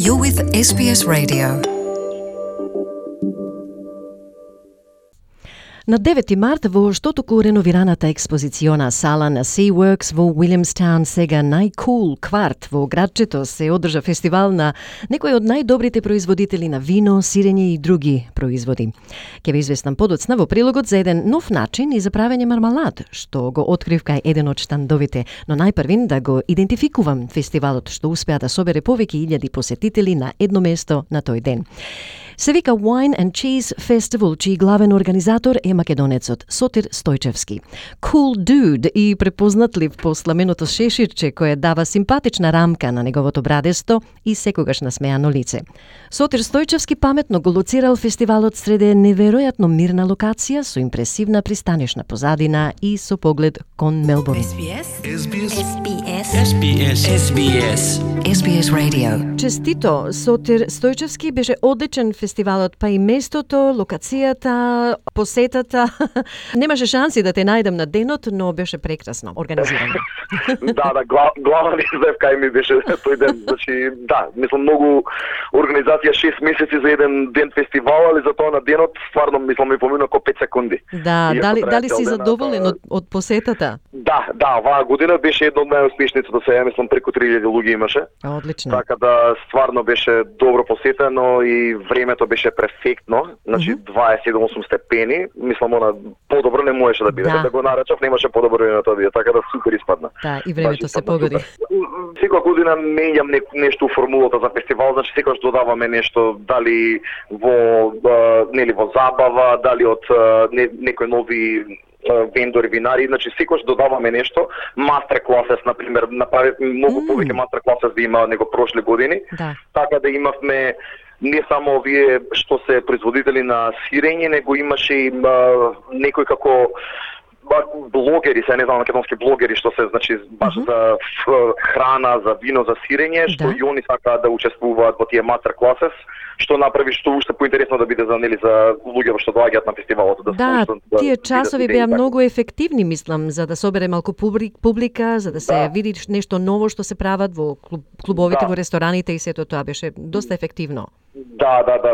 You're with SBS Radio. На 9 март во што току реновираната експозициона сала на SeaWorks во Уилямстаун, сега најкул кварт во градчето, се одржа фестивал на некои од најдобрите производители на вино, сирење и други производи. Ке ви известам подоцна во прилогот за еден нов начин и за правење мармалад, што го открив кај еден од штандовите, но најпрвин да го идентификувам фестивалот што успеа да собере повеќе илјади посетители на едно место на тој ден. Се вика Wine and Cheese Festival, чиј главен организатор е македонецот Сотир Стојчевски. Cool dude и препознатлив по сламеното шеширче кое дава симпатична рамка на неговото брадесто и секогаш насмеано лице. Сотир Стојчевски паметно го лоцирал фестивалот среде неверојатно мирна локација со импресивна пристанишна позадина и со поглед кон Мелбурн. SBS Radio. Честито, Сотир Стојчевски беше одличен фестивалот, па и местото, локацијата, посетата. Немаше шанси да те најдам на денот, но беше прекрасно организирано. Главна издевка ми беше тој ден. Значи, мислам многу организација 6 месеци за еден ден фестивал, али за тоа на денот стварно мислам ми помина ко 5 секунди. Дали си задоволен од посетата? Оваа година беше една од најуспешните до сега, мислам преку 3000 луѓе имаше. Одлично. Така да стварно беше добро посетено и времето беше перфектно, значи 27-8 степени, мислам она подобро не можеше да биде, да го наречав, немаше подобро време на тоа биде, така да супер испадна. И времето се погоди. Секоја година менјам нешто во формулата за фестивал, значи секогаш додаваме нешто, дали во забава, дали од некои нови вендори, винари, значи секогаш додаваме нешто. Мастер класес, например, направи многу повеќе мастер класес да има него прошли години. Така да имавме не само овие што се производители на сирење, него имаше и некои како блогери, не знам, македонски блогери што се, значи, баш за храна, за вино, за сирење, што и они сакаат да учествуваат во тие мастер класес, што направи што уште поинтересно да биде за луѓето што доаѓаат на фестивалот. Тие часови беа многу ефективни, мислам, за да собере малку публика, за да се види нешто ново што се прават во клубовите, во рестораните и сето тоа беше доста ефективно.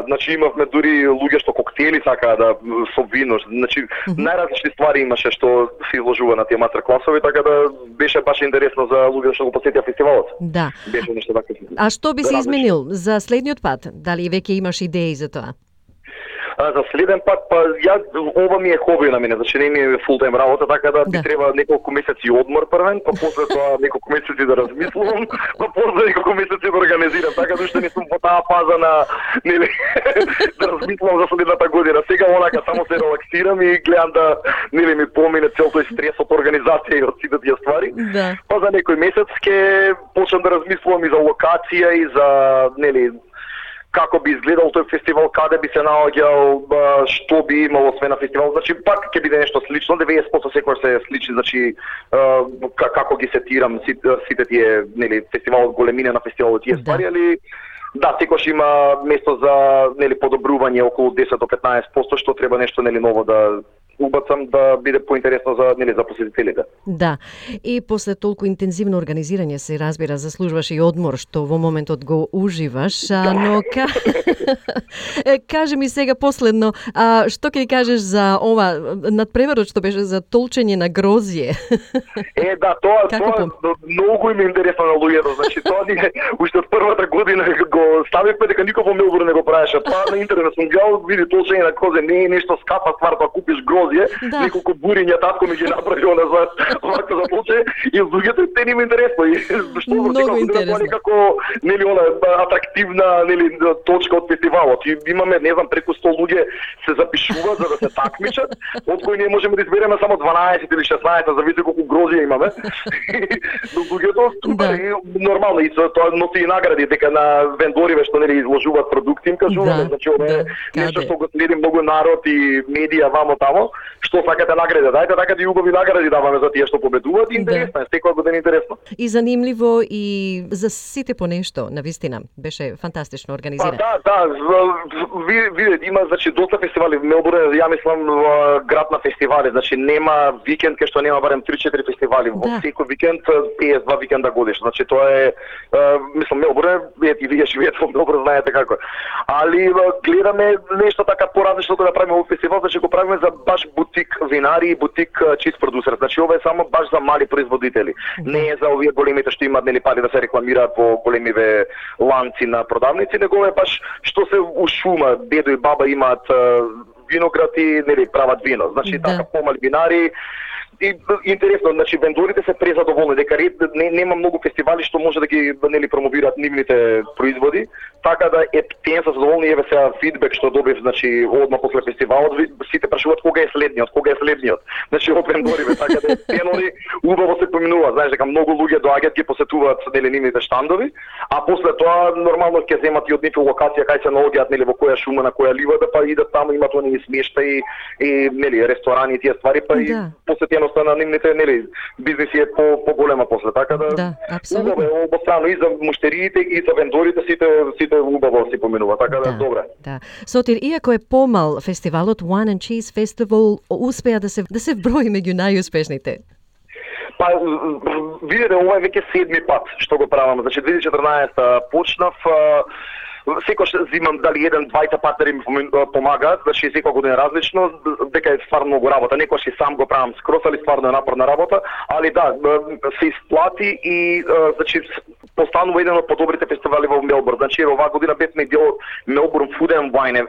Значи имавме дури луѓе што коктели сакаа да со вино, значи најразлични ствари имаше што се изложува на тие мастер класови, така да беше баш интересно за луѓе што го посетија фестивалот. Беше нешто така. А што би се изменил за следниот пат? Дали веќе имаш идеи за тоа? За следен пат, ова ми е хоби на мене, значи не ми е фултайм работа, така да би треба неколку месеци одмор првен, па после тоа неколку месеци да размислувам, па после неколку месеци да организирам, така да уште не сум во таа фаза на да размислувам за следната година. Сега онака само се релаксирам и гледам да ми помине цел тој стрес од организација и од сите тие ствари. Па за некој месец ќе почнам да размислувам и за локација и за како би изгледал тој фестивал, каде би се наоѓал, што би имало освен на фестивал. Значи пак ќе биде нешто слично, 90% секогаш се сличи, значи како ги сетирам сите тие, фестивалот, големина на фестивалот, тие ствари, али секогаш има место за подобрување околу 10 до 15%, што треба нешто ново да убацам да биде поинтересно за посетителите. И после толку интензивно организирање се разбира заслужуваш и одмор што во моментот го уживаш, но кажи ми сега последно, што ќе ни кажеш за ова надпреварот што беше за толчење на грозје? Тоа многу им е интересно на луѓето, значи тоа ни уште од првата година го ставивме дека никој во Мелбурн не го правеше. Па на интернет сум гледал, види толчење на грозје не е нешто скапа ствар, па купиш грозје, неколку буриња татко ми ги направи назад, вака за толче и луѓето те нема интересно и што многу интересно. Некако атрактивна точка од фестивалот. И имаме, не знам, преку 100 луѓе се запишуваат за да се такмичат, од кои ние можеме да избереме само 12 или 16, зависи колку грозје имаме. Но луѓето нормално и тоа носи и награди, дека на вендориве што изложуваат продукти им кажуваме, значи ова е нешто што го следи многу народ и медија вамо тамо. што сакате награди, дајте така и убави награди даваме за тие што победуваат, интересно е, секоја година интересно. И занимливо и за сите по нешто, навистина, беше фантастично организирано. Да, видите, има значи доста фестивали во Мелбурн, ја мислам град на фестивали, значи нема викенд кај што нема барем 3-4 фестивали, во секој викенд 52 викенда годишно. Значи тоа е мислам Мелбурн, и вие живеете во Мелбурн, знаете како е. Али гледаме нешто така поразлично да правиме овој фестивал, значи го правиме за баш бутик винари и бутик чиз продусер. Значи ова е само баш за мали производители. Не е за овие големите што имаат нели пари да се рекламираат во големиве ланци на продавници, него е баш што се у шума, дедо и баба имаат виноград и нели прават вино. Значи така помали винари. И интересно, значи вендорите се презадоволни дека нема многу фестивали што може да ги нели промовираат нивните производи, така да тие се задоволни. Еве сега фидбек што добив, значи одма после фестивалот, сите прашуваат кога е следниот. Значи од вендорите, така да тенони убаво се поминуваат, знаеш дека многу луѓе доаѓаат ги посетуваат нели нивните штандови, а после тоа нормално ќе земат и од нивна локација кај се наоѓаат нели во која шума, на која ливада, па идат таму, имаат они смештаи и нели ресторани и тие ствари, па и посетеноста на нивните нели бизниси е поголема после, така да апсолутно обострано и за муштериите и за вендорите сите убаво се поминува, така да добре. Да. Сотир, иако е помал фестивалот Wine and Cheese Festival успеа да се вброи меѓу најуспешните. Па, видите, ова е веќе 7ми пат што го правам. Значи 2014 почнав, секој зимам дали еден, двајца партнери ми помагаат, значи секоја година различно, дека е стварно многу работа. Некојаш и сам го правам скрос, али стварно е напорна работа, али да, се исплати и значи постанува еден од подобрите фестивали во Мелбурн. Значи оваа година бевме дел од Melbourne Food and Wine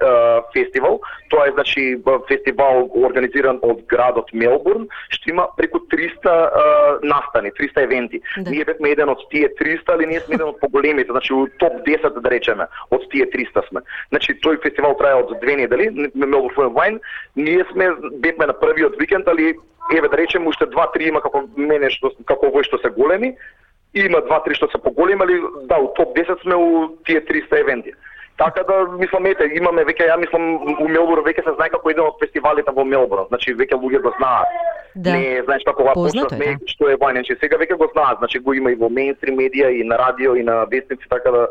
Festival. Тоа е значи фестивал организиран од градот Мелбурн, што има преку 300 настани, 300 евенти. Ние бевме еден од тие 300, али ние сме еден од поголемите, значи у топ 10 да речеме, од тие 300 сме. Значи тој фестивал трае од 2 недели, Melbourne Food and Wine. Ние бевме на првиот викенд, али еве да речеме уште 2-3 има како мене како овој што се големи. Има 2-3 што се поголеми, али да, у топ 10 сме у тие 300 евенти. Така да, мислам, имаме веќе, ја мислам, у Мелбурн веќе се знае како еден од фестивалите во Мелбурн. Значи, веќе луѓе го знаат. Да. Не, знаеш како ова почнавме, што е Wine and Cheese. Сега веќе го знаат, значи го има и во мејнстрим медија, и на радио, и на вестници, така да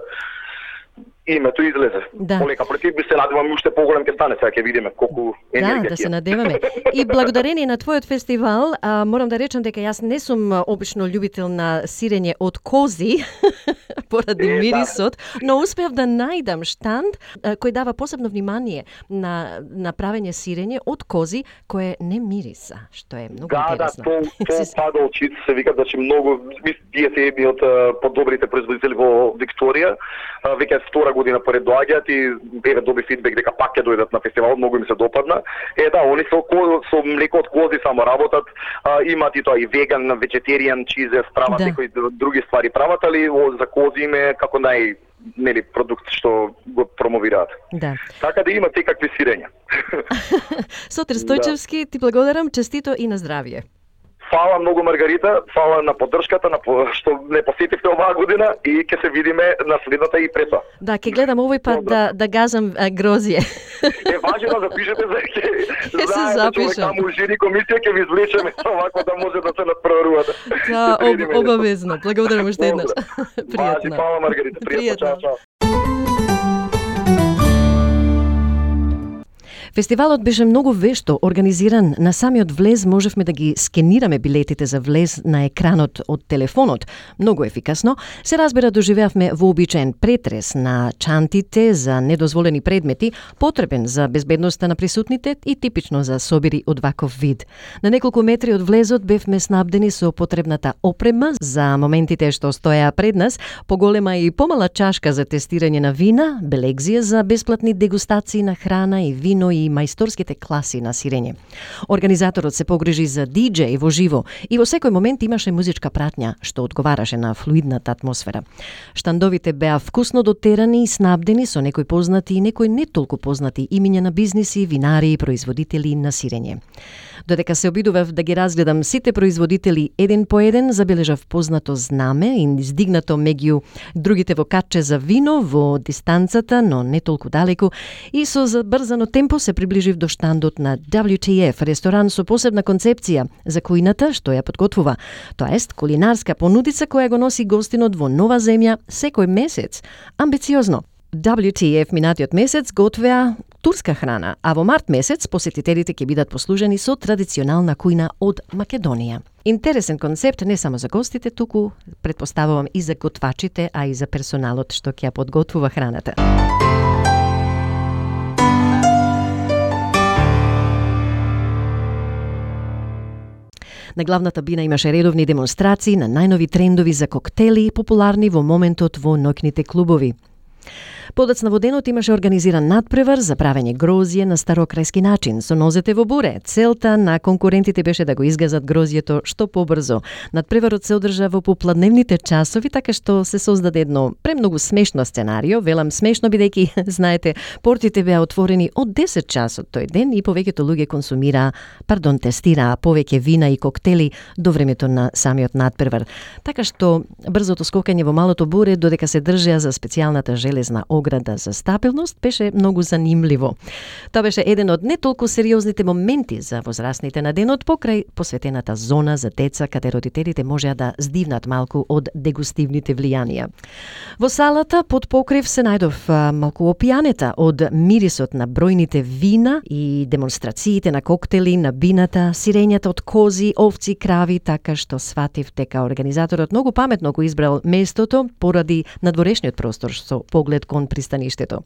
името излезе. Да. Полека против би се надевам уште поголем ќе стане, сега ќе видиме колку енергија. Да се надеваме. И благодарение на твојот фестивал, морам да речам дека јас не сум обично љубител на сирење од кози, поради мирисот, но успеав да најдам штанд кој дава посебно внимание на правење сирење од кози кое не мириса, што е многу интересно. Да, тоа пада очите, се вика, значи многу, тие се едни од подобрите производители во Викторија, веќе втора година поред доаѓаат и еве доби фидбек дека пак ќе дојдат на фестивалот, многу ми се допадна. Да, они со млеко од кози само работат, имаат и тоа и веган, вегетаријан чизе, прават некои други ствари прават, али за кози име како нели продукт што го промовираат. Да. Така да има секакви сирења. Сотир Стојчевски, ти благодарам, честито и на здравје. Фала многу, Маргарита, фала на поддршката, што не посетивте оваа година и ќе се видиме на следната и пред тоа. Да, ќе гледам овој пат да газам грозје. Важно да запишете за ќе се запишам. Таму жири комисија ќе ви извлечеме овако да може да се надпреварувате. Да, обавезно. Благодарам уште еднаш. Пријатно. Фала, Маргарита, пријатно. Чао. Фестивалот беше многу вешто организиран. На самиот влез можевме да ги скенираме билетите за влез на екранот од телефонот. Многу ефикасно. Се разбира, доживеавме вообичаен претрес на чантите за недозволени предмети, потребен за безбедноста на присутните и типично за собири од ваков вид. На неколку метри од влезот бевме снабдени со потребната опрема за моментите што стоеа пред нас, поголема и помала чашка за тестирање на вина, белегзија за бесплатни дегустации на храна и вино и мајсторските класи на сирење. Организаторот се погрижи за диџеј во живо и во секој момент имаше музичка пратња што одговараше на флуидната атмосфера. Штандовите беа вкусно дотерани и снабдени со некои познати и некои не толку познати имиња на бизниси, винари и производители на сирење. Додека се обидував да ги разгледам сите производители еден по еден, забележав познато знаме и издигнато меѓу другите во катче за вино во дистанцата, но не толку далеку, и со забрзано темпо се приближив до штандот на WTF, ресторан со посебна концепција за кујната што ја подготвува. Тоа ест кулинарска понудица која го носи гостинот во нова земја секој месец. Амбициозно. WTF минатиот месец готвеа турска храна, а во март месец посетителите ќе бидат послужени со традиционална кујна од Македонија. Интересен концепт не само за гостите, туку претпоставувам и за готвачите, а и за персоналот што ќе ја подготвува храната. На главната бина имаше редовни демонстрации на најнови трендови за коктели, популарни во моментот во ноќните клубови. Подоцна во денот имаше организиран надпревар за правење грозје на старокрајски начин, со нозете во буре. Целта на конкурентите беше да го изгазат грозјето што побрзо. Надпреварот се одржа во попладневните часови, така што се создаде едно премногу смешно сценарио. Велам смешно бидејќи, знаете, портите беа отворени од 10 часот тој ден и повеќето луѓе тестираа повеќе вина и коктели до времето на самиот надпревар. Така што брзото скокање во малото буре додека се држеа за специјалната железна ограда за стабилност беше многу занимливо. Тоа беше еден од не толку сериозните моменти за возрастните на денот покрај посветената зона за деца каде родителите можеа да здивнат малку од дегустивните влијанија. Во салата под покрив се најдов малку опијанета од мирисот на бројните вина и демонстрациите на коктели, на бината, сирењата од кози, овци, крави, така што сватив дека организаторот многу паметно го избрал местото поради надворешниот простор со поглед кон пристаништето.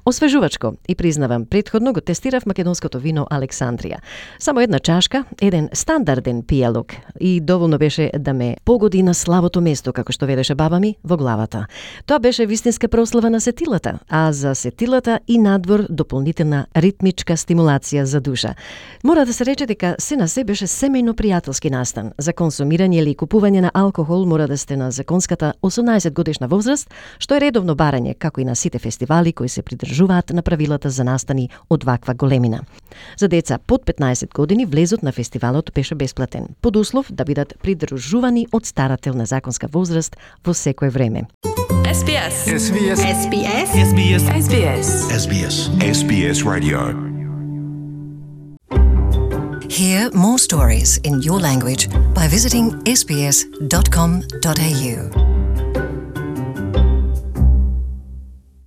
Освежувачко и признавам, претходно го тестирав македонското вино Александрија. Само една чашка, еден стандарден пијалок и доволно беше да ме погоди на славото место, како што велеше баба ми, во главата. Тоа беше вистинска прослава на сетилата, а за сетилата и надвор дополнителна ритмичка стимулација за душа. Мора да се рече дека се на се беше семејно пријателски настан. За консумирање или купување на алкохол мора да сте на законската 18 годишна возраст, што е редовно барање, како и на сите фестивали кои се придржуваат на правилата за настани од ваква големина. За деца под 15 години влезот на фестивалот беше бесплатен, под услов да бидат придружувани од старател на законска возраст во секое време. SBS. SBS. SBS. SBS. SBS. SBS. SBS Radio. Hear more stories in your language by visiting sbs.com.au.